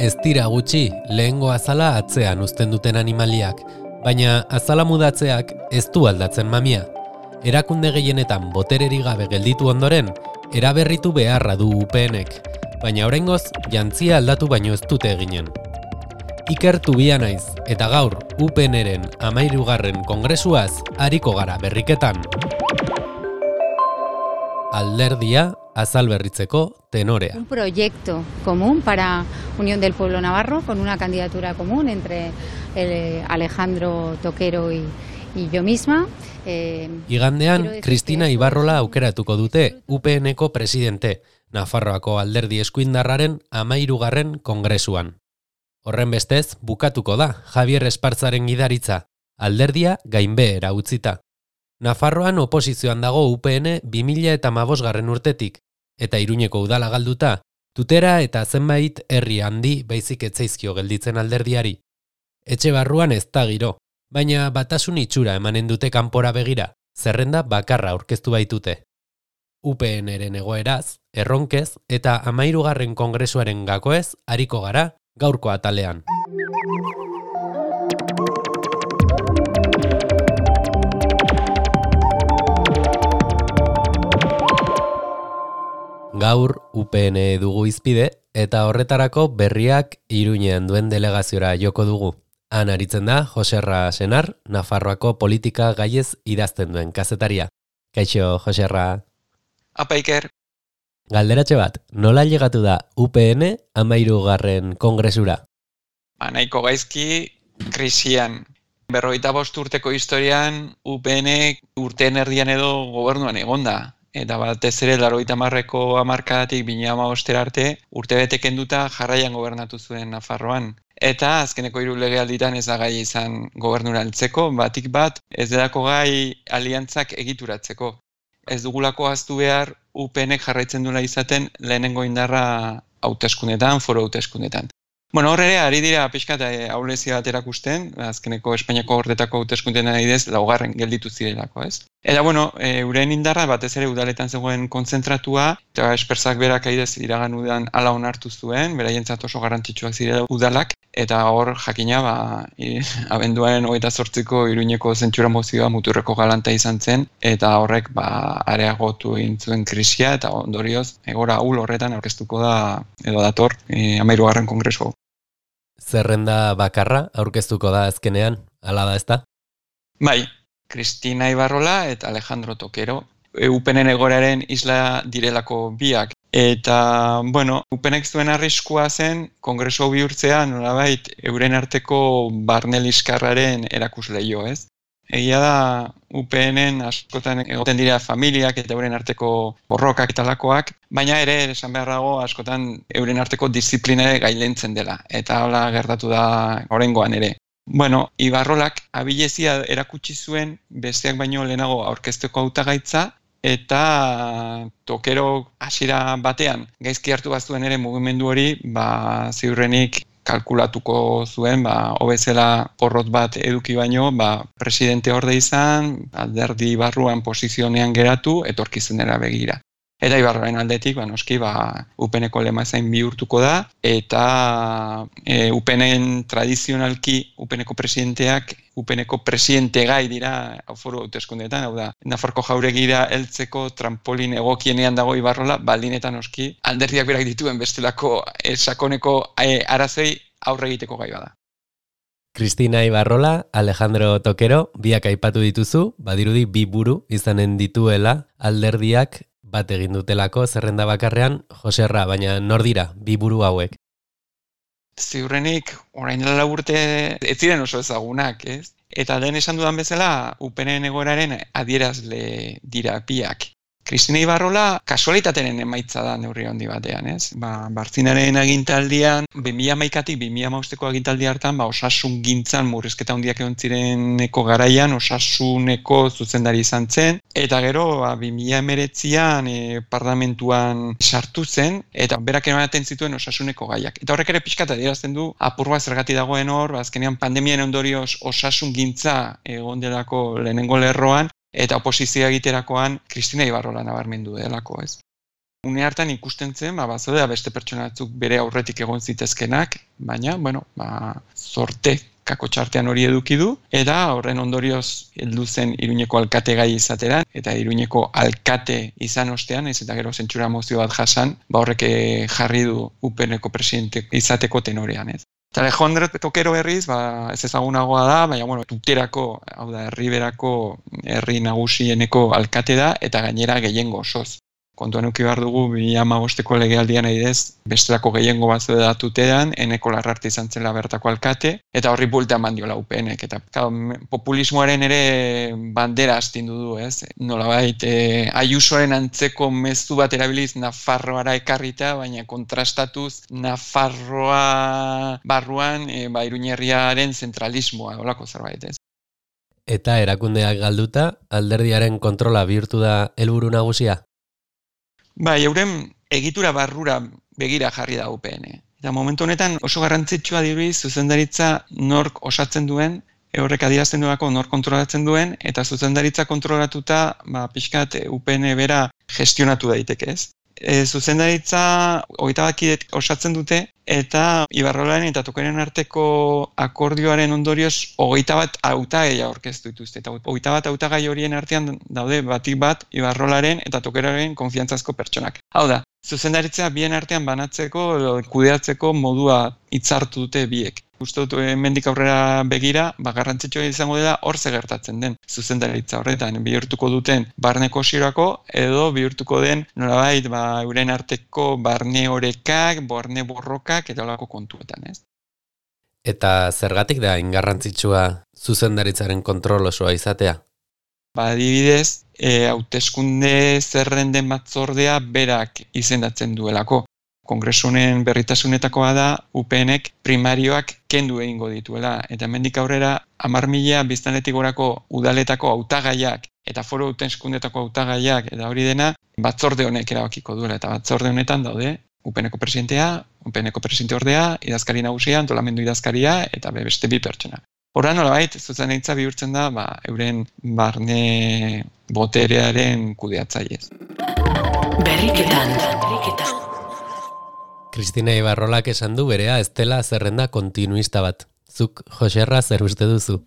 Ez dira gutxi, lehengo azala atzean uzten duten animaliak, baina azala mudatzeak ez du aldatzen mamia. Erakunde gehienetan botererik gabe gelditu ondoren, eraberritu beharra du UPNek, baina oraingoz jantzia aldatu baino ez dute eginen. Iker Tubia naiz, eta gaur UPNren 13. kongresuaz ariko gara berriketan. Alderdia azal berritzeko tenorea. Un proyecto común para Unión del Pueblo Navarro, con una candidatura común entre Alejandro Toquero y yo misma. Igandean, Cristina Ibarrola aukeratuko dute UPNko presidente, Nafarroako alderdi eskuindarraren 13. kongresuan. Horrenbestez, bukatuko da Javier Espartzaren gidaritza, alderdia gainbehera utzita. Nafarroan oposizioan dago UPN 2015 urtetik, eta Iruñeko udala galduta, Tutera eta zenbait herri handi baizik etzaizkio gelditzen alderdiari. Etxe barruan ez da giro, baina batasun itxura emanen dute kanpora begira, zerrenda bakarra aurkeztu baitute. UPNren egoeraz, erronkez eta 13. kongresuaren gakoez ariko gara gaurko atalean. Gaur UPN dugu izpide eta horretarako berriak Iruñean duen delegaziora joko dugu. Han aritzen da Joserra Senar, Nafarroako politika gaiez idazten duen kazetaria. Kaixo, Joserra. Apa, Iker. Galderatxe bat, nola llegatu da UPN 13. kongresura? Nahiko gaizki krisian. 45 urteko historian UPN urteen erdian edo gobernuan egonda. Eta batez ere 80ko hamarkadatik 2015 arte urtebete kenduta jarraian gobernatu zuen Nafarroan. Eta azkeneko 3 legealditan ez da gai izan gobernura heltzeko, batik bat ez delako gai aliantzak egituratzeko. Ez dugulako ahaztu behar UPNek jarraitzen duela izaten lehenengo indarra hauteskundetan, foro hauteskundetan. Hor ere, ari dira pixkat ahulezia bat erakusten, azkeneko Espainiako gordetako hauteskundetan adibidez 4. gelditu zirelako, ez? Eta euren indarra batez ere udaletan zegoen kontzentratua, eta Espertzak berak adibidez iragan udan hala onartu zuen, beraientzat oso garrantzitsuak zirela udalak, eta hor jakina abenduaren 28ko Iruñeko zentsura mozioa muturreko galanta izan zen, eta horrek areagotu egin zuen krisia, eta ondorioz egora ahul horretan aurkeztuko da edo dator 13. kongresu. Zerrenda bakarra aurkeztuko da azkenean, hala da ezta? Bai, Cristina Ibarrola eta Alejandro Toquero. UPNen egoraren isla direlako biak. Eta, UPNek zuen arriskua zen kongresu bihurtzea nolabait euren arteko barne liskarraren erakusleio, ez? Egia da UPNen askotan egoten dira familiak eta euren arteko borrokak eta lakoak, baina ere esan beharrago askotan euren arteko disiplinare gailentzen dela, eta hola gertatu da oraingoan ere. Ibarrolak abilezia erakutsi zuen besteak baino lehenago aurkezteko hautagaitza, eta Toquero hasiera batean gaizki hartu bazuen ere mugimendu hori, ziurrenik kalkulatuko zuen, hobezela porrot bat eduki baino, presidente orde izan, alderdi barruan posizionean geratu, etorkizenera begira. Eta Ibarroren aldetik, noski, UPNeko lema zain bihurtuko da, eta UPNen tradizionalki UPNeko presidenteak, UPNeko presidente gai dira foro hauteskundeetan, hau da, Nafarroko jauregira heltzeko trampolin egokienean dago Ibarrola, baldin eta noski, alderdiak berak dituen bestelako sakoneko arazei aurre egiteko gai bada. Cristina Ibarrola, Alejandro Toquero, biak aipatu dituzu, badirudi 2 buru izanen dituela alderdiak bat egin dutelako zerrenda bakarrean, Joserra, baina nor dira 2 buru hauek? Ziurrenik, orain dela urte ez ziren oso ezagunak, ez? Eta lehen esan dudan bezala, UPNen egoeraren adierazle dira biak. Cristina Ibarrola kasualitateren emaitza da neurri handi batean, ez? Bartzinaren agintaldian, 2011tik 2015ko agintaldi hartan, osasun gintzan murrizketa handiak egon zireneko garaian, osasuneko zuzendari izan zen, eta gero 2019an parlamentuan sartu zen, eta berak ematen zituen osasuneko gaiak. Eta horrek ere pixkat adierazten du, apur bat zergatik dagoen hor, azkenean pandemian ondorioz osasun gintza egon delako lehenengo lerroan, eta oposizioa egiterakoan Cristina Ibarrola nabarmendu delako, ez? une hartan ikusten zen, bazodea beste pertsona batzuk bere aurretik egon zitezkenak, baina, zorte kako txartean hori eduki du, eta horren ondorioz heldu zen Iruñeko alkate gai izatera, eta Iruñeko alkate izan ostean, ez eta gero zentsura mozio bat jasan, horrek jarri du UPNeko presidente izateko tenorean, ez. Eta Alejandro Tokero berriz, ez ezagunagoa da, baina, Tuterako, hau da, Herriberako herri nagusieneko alkate da, eta gainera gehiengo osoz. Kontuan eduki behar dugu, 2015ko legealdian adidez, bestelako gehiengo bat da Tuteran, Eneko Larrarte izan zela bertako alkate, eta horri buelta eman diola UPNek. Eta populismoaren ere bandera astindu du, ez? Nolabait, Ayusoren antzeko mezu bat erabiliz Nafarroara ekarrita, baina kontrastatuz Nafarroa barruan Iruñerriaren zentralismoa, holako zerbait, ez? Eta erakundeak galduta, alderdiaren kontrola bihurtu da helburu nagusia? Euren egitura barrura begira jarri da UPN. Eta momentu honetan oso garrantzitsua dirudi zuzendaritza nork osatzen duen, horrek adierazten duelako nork kontrolatzen duen, eta zuzendaritza kontrolatuta pixkat UPN bera gestionatu daiteke, ez? Zuzendaritza 21 kide osatzen dute, eta Ibarrolaren eta Tokeren arteko akordioaren ondorioz 21 hautagai aurkeztu dituzte. Eta 21 hautagai horien artean daude batik bat Ibarrolaren eta Tokeraren konfiantzazko pertsonak. Hau da, zuzendaritza bien artean banatzeko, kudeatzeko modua hitzartu dute biek. Uste dut hemendik aurrera begira, garrantzitsua izango dela hor ze gertatzen den zuzendaritza horretan bihurtuko duten barne kosirako edo bihurtuko den nolabait euren arteko barne orekak, barne borrokak eta holako kontuetan, ez? Eta zergatik da ingarrantzitsua zuzendaritzaren kontrol osoa izatea? Adibidez, hauteskunde zerrenden batzordea berak izendatzen duelako. Kongresu honen berritasunetakoa da UPNek primarioak kendu egingo dituela. Eta hemendik aurrera 10.000 biztanletik gorako udaletako hautagaiak eta foru hauteskundetako hautagaiak eta hori dena batzorde honek erabakiko duela. Eta batzorde honetan daude UPNeko presidentea, UPNeko presidenteordea, idazkari nagusia, antolamendu idazkaria eta beste 2 pertsona. Horra nolabait, zuzendaritza bihurtzen da euren barne boterearen kudeatzailez. Berriketan. Kristina Ibarrolak esan du berea ez dela zerrenda kontinuista bat. Zuk, Joserra, zer uste duzu?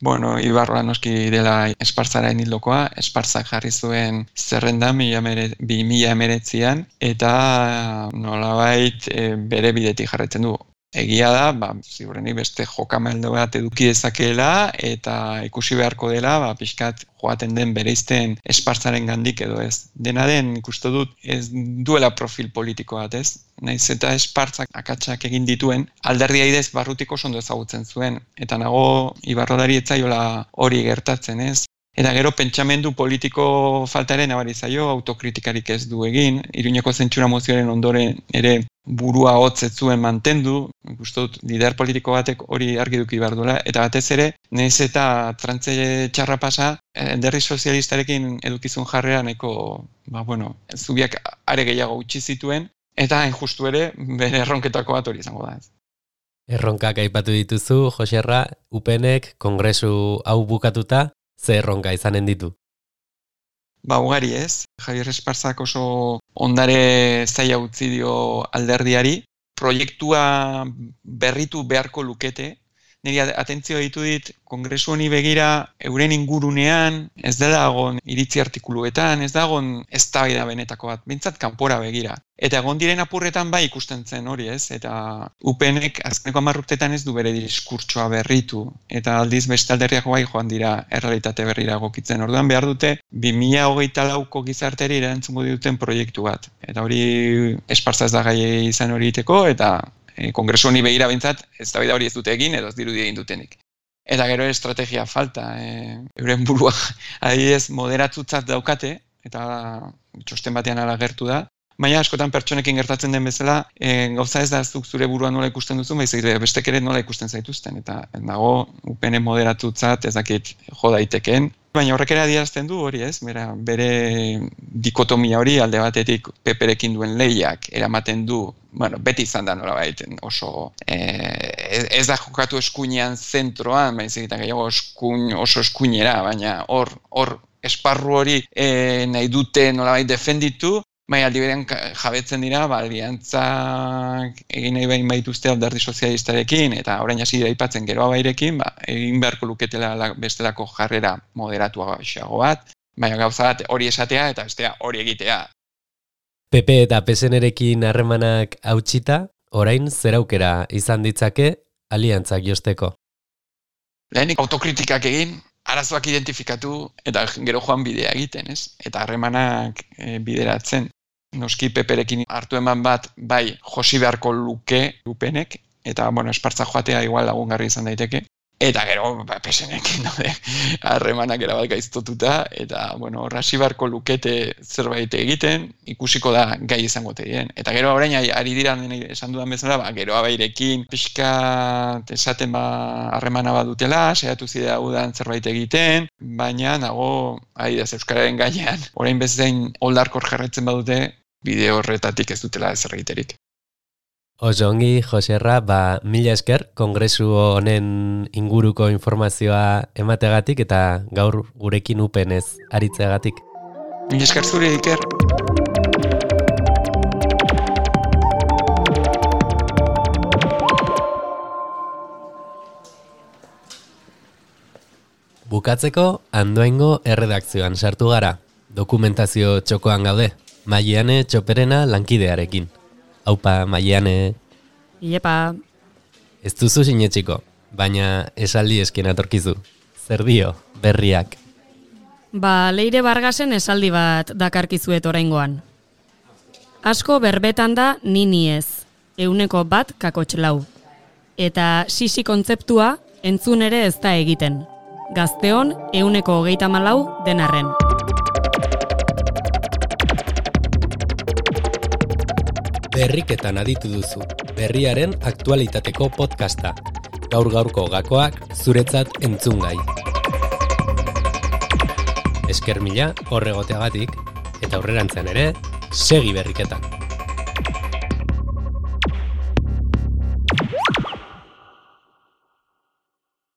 Ibarrola noski dela Esparzaren hildokoa, Esparzak jarri zuen zerrendan 2019an, eta nolabait bere bidetik jarraitzen du. Egia da, ziurrenik beste jokamaldo bat eduki dezakeela eta ikusi beharko dela, pixkat joaten den bereizten Esparzaren gandik edo ez. Dena den ikusten dut ez duela profil politiko bat, ez? Naiz eta Esparzak akatsak egin dituen, alderdia idez barrutik oso ondo ezagutzen zuen, eta nago Ibarrolari ez zaiola hori gertatzen, ez? Eta gero pentsamendu politiko faltaren nabari zaio, autokritikarik ez du egin, Iruñeko zentsura mozioaren ondoren ere burua hotz ez zuen mantendu, ikusten dut lider politiko batek hori argi eduki behar duela, eta batez ere, nahiz eta trantze txarra pasa, alderdi sozialistarekin edukizun jarrera nahiko, zubiak are gehiago utzi zituen, eta hain justu ere, bere erronketako bat hori izango da ez. Erronkak aipatu dituzu, Joserra, UPNek kongresu hau bukatuta, ze erronka izanen ditu? Ugari ez. Javier Esparzak oso ondare zaila utzi dio alderdiari. Proiektua berritu beharko lukete. Niri atentzioa ditu dit, kongresu honi begira euren ingurunean, ez dela egon iritzi artikuluetan, ez da egon eztabaida benetako bat, behintzat kanpora begira. Eta egon diren apurretan ikusten zen hori ez, eta UPNek azkeneko 10 urtetan ez du bere diskurtsoa berritu, eta aldiz beste alderriak joan dira errealitate berrira egokitzen. Orduan behar dute 2024ko gizarteri erantzungo duten proiektu bat. Eta hori Esparza ez da gai izan hori iteko, eta kongresu honi begira bintzat, eztabaida hori ez dute egin, edo ez dirudi egin dutenik. Eta gero estrategia falta, euren burua adibidez moderatutzat daukate, eta txosten batean ala gertu da, baina askotan pertsonekin gertatzen den bezala, gauza ez da zuk zure burua nola ikusten duzu, baizik bestek ere nola ikusten zaituzten, eta nago UPN moderatutzat ez dakit jo daiteken, baina horrek ere adierazten du hori ez, bere dikotomia hori alde batetik peperekin duen lehiak eramaten du, beti izan da nolabait oso, ez da jokatu eskuinean zentroan, baizik eta gehiago oso eskuinera, baina hor esparru hori nahi dute nolabait defenditu, aldi berean jabetzen dira, aliantzak egin nahi behin baituzte alderdi sozialistarekin, eta orain hasi dira aipatzen Geroa Bairekin, egin beharko luketela bestelako jarrera moderatua xago bat, baina gauza bat hori esatea eta bestea hori egitea. PP eta PSN-erekin harremanak hautsita, orain zer aukera izan ditzake aliantzak josteko? Lehenik autokritikak egin, arazoak identifikatu eta gero joan bidea egiten, ez? Eta harremanak bideratzen. Noski PPrekin hartu eman bat, bai, josi beharko luke UPNek, eta, espartza joatea igual lagungarri izan daiteke. Eta gero, PSNekin harremanak erabat gaiztotuta, eta, hasi beharko lukete zerbait egiten, ikusiko da gai izango tegien. Eta gero orain ari dira esan dudan bezala, Geroa Bairekin pixka esaten harremana bat dutela, saiatu zidea udan zerbait egiten, baina nago, euskararen gainean, orain bezain oldarkor jarraitzen badute, bide horretatik ez dutela ezer egiterik. Oso ongi, Joserra, mila esker kongresu honen inguruko informazioa emategatik eta gaur gurekin UPNez aritzeagatik. Mila esker zure, Iker. Bukatzeko, Andoaingo erredakzioan sartu gara. Dokumentazio txokoan gaude. Maiane Txoperena lankidearekin. Aupa, Maiane. Iepa. Ez duzu sinetxiko, baina esaldi esken atorkizu. Zer dio, berriak? Leire Vargasen esaldi bat dakarkizuet oraingoan. Asko berbetan da nini ez, 100 kakotxlau. Eta sisi kontzeptua entzun ere ez da egiten. Gazteon 134 denarren. Berriketan aditu duzu, berriaren aktualitateko podcasta. Gaur-gaurko gakoak zuretzat entzungai. Esker mila horregoteagatik, eta aurrerantzean ere, segi berriketan.